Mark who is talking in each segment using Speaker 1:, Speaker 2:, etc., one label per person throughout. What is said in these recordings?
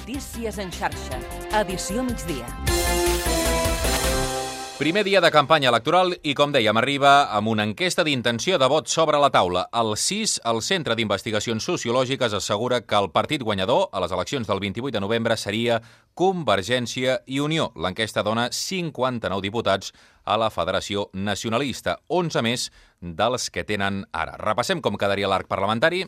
Speaker 1: Notícies en xarxa. Edició migdia.
Speaker 2: Primer dia de campanya electoral i, com dèiem, arriba amb una enquesta d'intenció de vot sobre la taula. El CIS, el Centre d'Investigacions Sociològiques, assegura que el partit guanyador a les eleccions del 28 de novembre seria Convergència i Unió. L'enquesta dona 59 diputats a la Federació Nacionalista, 11 més dels que tenen ara. Repassem com quedaria l'arc parlamentari.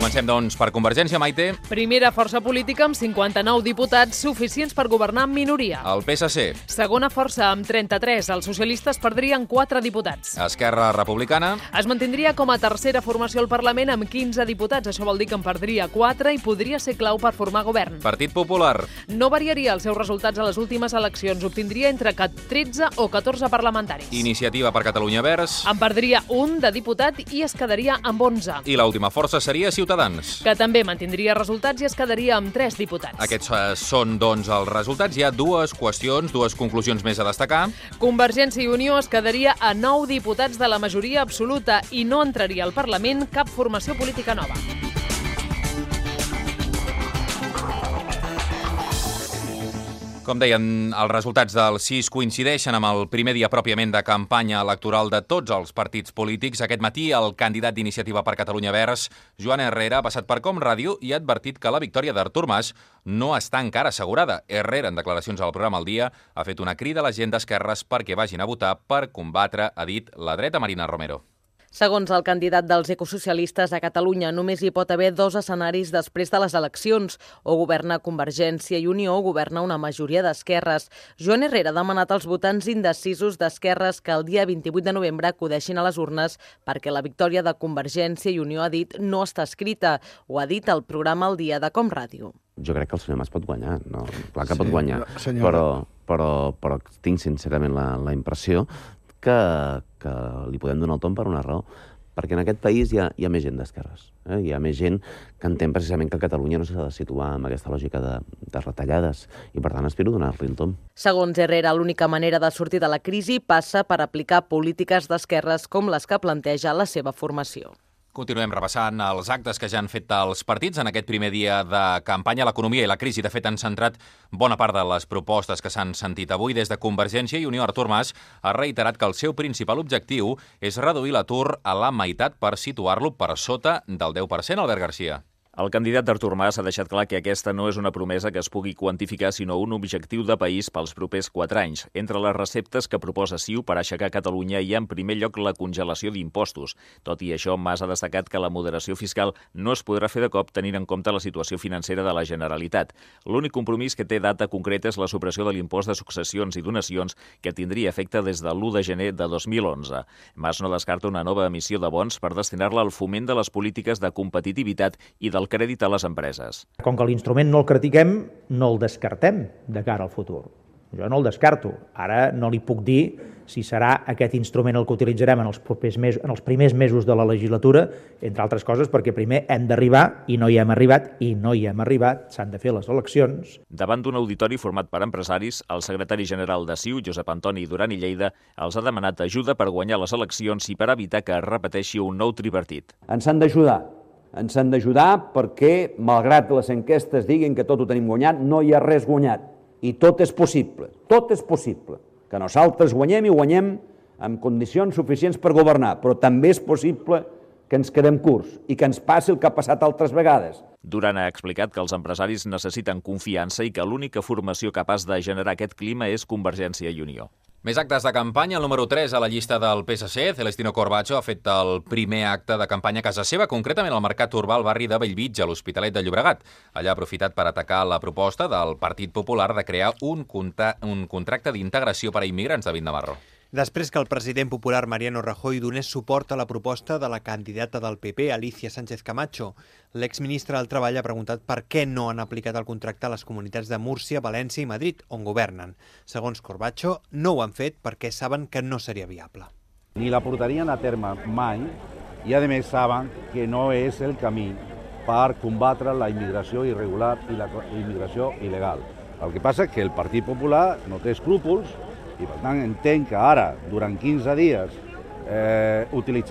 Speaker 2: Comencem, doncs, per Convergència, Maite.
Speaker 3: Primera força política amb 59 diputats suficients per governar en minoria.
Speaker 2: El PSC.
Speaker 3: Segona força amb 33. Els socialistes perdrien 4 diputats.
Speaker 2: Esquerra Republicana.
Speaker 3: Es mantindria com a tercera formació al Parlament amb 15 diputats. Això vol dir que en perdria 4 i podria ser clau per formar govern.
Speaker 2: Partit Popular.
Speaker 3: No variaria els seus resultats a les últimes eleccions. Obtindria entre 13 o 14 parlamentaris.
Speaker 2: Iniciativa per Catalunya Verds.
Speaker 3: En perdria un de diputat i es quedaria amb 11.
Speaker 2: I l'última força seria Ciutadans,
Speaker 3: que també mantindria resultats i es quedaria amb 3 diputats.
Speaker 2: Aquests són, doncs, els resultats. Hi ha dues qüestions, dues conclusions més a destacar.
Speaker 3: Convergència i Unió es quedaria a 9 diputats de la majoria absoluta i no entraria al Parlament cap formació política nova.
Speaker 2: Com deien, els resultats del CIS coincideixen amb el primer dia pròpiament de campanya electoral de tots els partits polítics. Aquest matí, el candidat d'Iniciativa per Catalunya Verds, Joan Herrera, ha passat per Com Ràdio i ha advertit que la victòria d'Artur Mas no està encara assegurada. Herrera, en declaracions al programa El Dia, ha fet una crida a la gent d'esquerres perquè vagin a votar per combatre, ha dit, la dreta. Marina Romero.
Speaker 4: Segons el candidat dels ecosocialistes a Catalunya, només hi pot haver 2 escenaris després de les eleccions. O governa Convergència i Unió o governa una majoria d'esquerres. Joan Herrera ha demanat als votants indecisos d'esquerres que el dia 28 de novembre acudeixin a les urnes perquè la victòria de Convergència i Unió, ha dit, no està escrita. Ho ha dit al programa El Dia de Com Ràdio.
Speaker 5: Jo crec que el senyor Mas pot guanyar, no? Clar que pot guanyar, però tinc sincerament la impressió que li podem donar el tom per una raó, perquè en aquest país hi ha més gent d'esquerres. Hi ha més gent que entén precisament que Catalunya no s'ha de situar en aquesta lògica de retallades i, per tant, aspiro a donar-li el tom.
Speaker 4: Segons Herrera, l'única manera de sortir de la crisi passa per aplicar polítiques d'esquerres com les que planteja la seva formació.
Speaker 2: Continuem repassant els actes que ja han fet els partits en aquest primer dia de campanya. L'economia i la crisi, de fet, han centrat bona part de les propostes que s'han sentit avui. Des de Convergència i Unió, Artur Mas ha reiterat que el seu principal objectiu és reduir l'atur a la meitat per situar-lo per sota del 10%. Albert Garcia.
Speaker 6: El candidat d'Artur Mas ha deixat clar que aquesta no és una promesa que es pugui quantificar, sinó un objectiu de país pels propers 4 anys. Entre les receptes que proposa CiU per aixecar Catalunya hi ha en primer lloc la congelació d'impostos. Tot i això, Mas ha destacat que la moderació fiscal no es podrà fer de cop tenint en compte la situació financera de la Generalitat. L'únic compromís que té data concreta és la supressió de l'impost de successions i donacions que tindria efecte des de l'1 de gener de 2011. Mas no descarta una nova emissió de bons per destinar-la al foment de les polítiques de competitivitat i del crèdit a les empreses.
Speaker 7: Com que l'instrument no el critiquem, no el descartem de cara al futur. Jo no el descarto. Ara no li puc dir si serà aquest instrument el que utilitzarem en els primers mesos de la legislatura, entre altres coses perquè primer hem d'arribar i no hi hem arribat, s'han de fer les eleccions.
Speaker 6: Davant d'un auditori format per empresaris, el secretari general de CiU, Josep Antoni Duran i Lleida, els ha demanat ajuda per guanyar les eleccions i per evitar que es repeteixi un nou tripartit.
Speaker 8: Ens han d'ajudar perquè, malgrat les enquestes diguin que tot ho tenim guanyat, no hi ha res guanyat. I tot és possible, que nosaltres guanyem i guanyem en condicions suficients per governar, però també és possible que ens quedem curts i que ens passi el que ha passat altres vegades.
Speaker 6: Duran ha explicat que els empresaris necessiten confiança i que l'única formació capaç de generar aquest clima és Convergència i Unió.
Speaker 2: Més actes de campanya. El número 3 a la llista del PSC, Celestino Corbacho, ha fet el primer acte de campanya a casa seva, concretament al Mercat Urbà al barri de Bellvitge, a l'Hospitalet de Llobregat. Allà ha aprofitat per atacar la proposta del Partit Popular de crear un contracte d'integració per a immigrants. David Navarro.
Speaker 9: Després que el president popular Mariano Rajoy donés suport a la proposta de la candidata del PP, Alicia Sánchez Camacho, l'exministre del Treball ha preguntat per què no han aplicat el contracte a les comunitats de Múrcia, València i Madrid, on governen. Segons Corbacho, no ho han fet perquè saben que no seria viable.
Speaker 10: Ni la portarien a terme mai i, a més, saben que no és el camí per combatre la immigració irregular i la immigració il·legal. El que passa és que el Partit Popular no té escrúpols i, per tant, entenc que ara, durant 15 dies, utilitzarà